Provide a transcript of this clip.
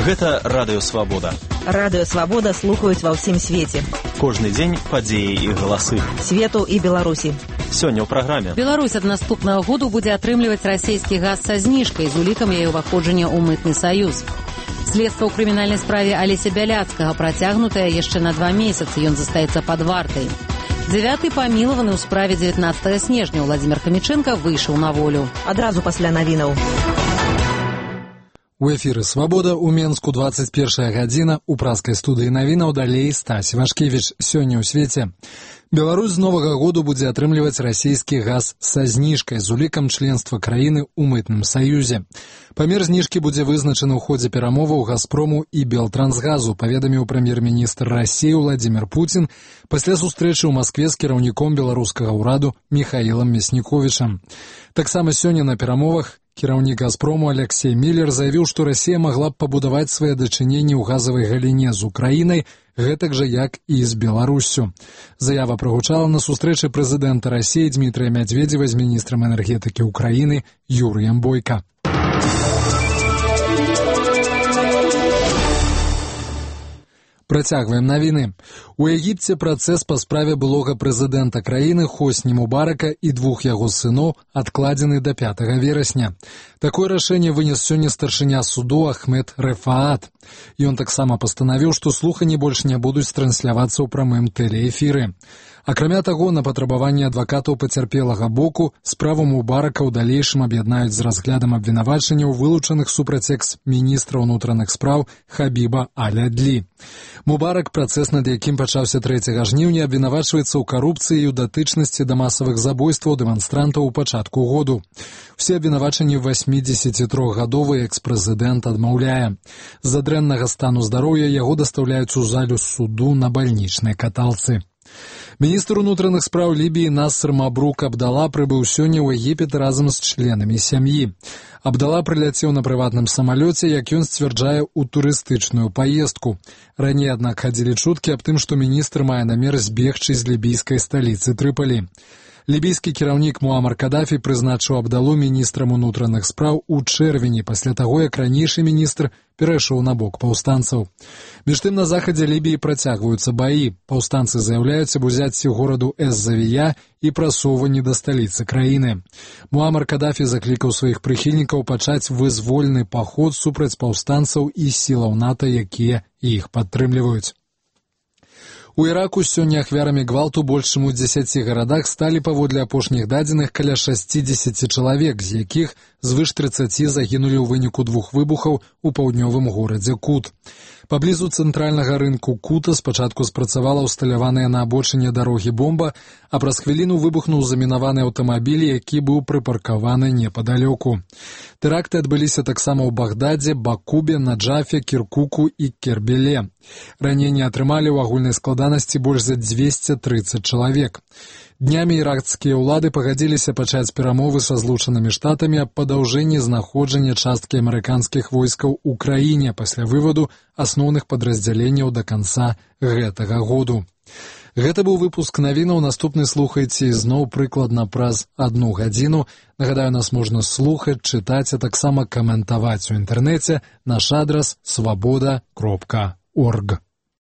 Гэта Радыё Свабода. Радыё Свабода слухаюць ва ўсім свеце. Кожны дзень падзеі і галасы. Свету і Беларусі. Сёння ў праграме. Беларусь ад наступнага году будзе атрымліваць расійскі газ са зніжкай з улікам яе ўваходжання ў мытны саюз. Следства ў крымінальнай справе Алеся Бяляцкага працягнутае яшчэ на 2 месяцы. Ён застаецца пад вартай. 9-й памілаваны ў справе 19 снежня Владзімир Хамічэнка выйшаў на волю. Адразу пасля навінаў. У эфіры «Свабода» у Менску 21 гадзіна. У праскай студыі навінаў далей Стась Вашкевіч. Сёння ў свеце. Беларусь з новага году будзе атрымліваць расійскі газ са зніжкай з улікам членства краіны ў мытным саюзе. Памер зніжкі будзе вызначаны ў ходзе перамоваў «Газпрому» і «Белтрансгазу», паведаміў прэм'ер-міністр Расіі Владзімир Путін пасля сустрэчы ў Маскве з кіраўніком беларускага ўраду Міхаілам Мясніковічам. Таксама сёння на перамовах кіраўнік «Газпрому» Алексей Міллер заявіў, што Расія магла б пабудаваць свае дачыненні ў газавай галіне з Украінай, гэтак жа як і з Беларуссю. Заява прагучала на сустрэчы прэзідэнта Расіі Дмітрыя Мядзведзева з міністрам энергетыкі Украіны Юрыем Бойка. Працягваем навіны. У Егіпце працэс па справе былога прэзідэнта краіны Хосні Мубарака і 2 яго сыноў адкладзены да 5 верасня. Такое рашэнне вынес сёння старшыня суду Ахмед Рэфаат. Ён таксама пастанавіў, што слуханні больш не будуць транслявацца ў прамым тэлеэфіры. Акрамя таго, на патрабаванне адвакатаў пацярпелага боку справу Мубарака ў далейшым аб'яднаюць з разглядам абвінавачанняў, вылучаных супраць экс-міністра ўнутраных спраў Хабіба Аль-Адлі. Мубарак, працэс над якім пачаўся 3 жніўня, абвінавачваецца ў карупцыі і ў датычнасці да масавых забойстваў дэманстрантаў у пачатку году. Усе абвінавачанні 83-гадовы экс-прэзідэнт адмаўляе. З-за дрэннага стану здароўя яго дастаўляюць у залю суду на бальнічнай каталцы. Міністр унутраных спраў Лібіі Насыр Мабрук Абдала прыбыў сёння ў Егіпет разам з членамі сям'і. Абдала прыляцеў на прыватным самалёце, як ён сцвярджае, у турыстычную паездку. Раней, аднак, хадзілі чуткі аб тым, што міністр мае намер збегчы з лібійскай сталіцы Трыпалі. Лібійскі кіраўнік Муамар Кадафі прызначыў Абдалу міністрам унутраных спраў у чэрвені, пасля таго, як ранейшы міністр перайшоў на бок паўстанцаў. Між тым, на захадзе Лібіі працягваюцца баі. Паўстанцы заяўляюць аб узяцці гораду Эз-Завія і прасоўванні да сталіцы краіны. Муамар Кадафі заклікаў сваіх прыхільнікаў пачаць вызвольны паход супраць паўстанцаў і сілаў НАТО, якія іх падтрымліваюць. У Іраку сёння ахвярамі гвалту больш чым у 10 гарадах сталі паводле апошніх дадзеных каля 60 чалавек, з якіх звыш 30 загінулі ў выніку 2 выбухаў у паўднёвым горадзе Кут. Паблізу цэнтральнага рынку Кута спачатку спрацавала ўсталяваная на абочыне дарогі бомба, а праз хвіліну выбухнуў замінаваны аўтамабіль, які быў прыпаркаваны непадалёку. Тэракты адбыліся таксама ў Багдадзе, Бакубе, Наджафе, Кіркуку і Кербеле. Раненні атрымалі ў агульнай складанасці больш за 230 чалавек. Днямі іракскія ўлады пагадзіліся пачаць перамовы са Злучанымі Штатамі аб падаўжэнні знаходжання часткі амерыканскіх войскаў у краіне пасля выводу асноўных падраздзяленняў да канца гэтага году. Гэта быў выпуск навінаў. Наступны слухайце ізноў прыкладна праз 1 гадзіну. Нагадаю, нас можна слухаць, чытаць, а таксама каментаваць у інтэрнэце. Наш адрас свабода.орг.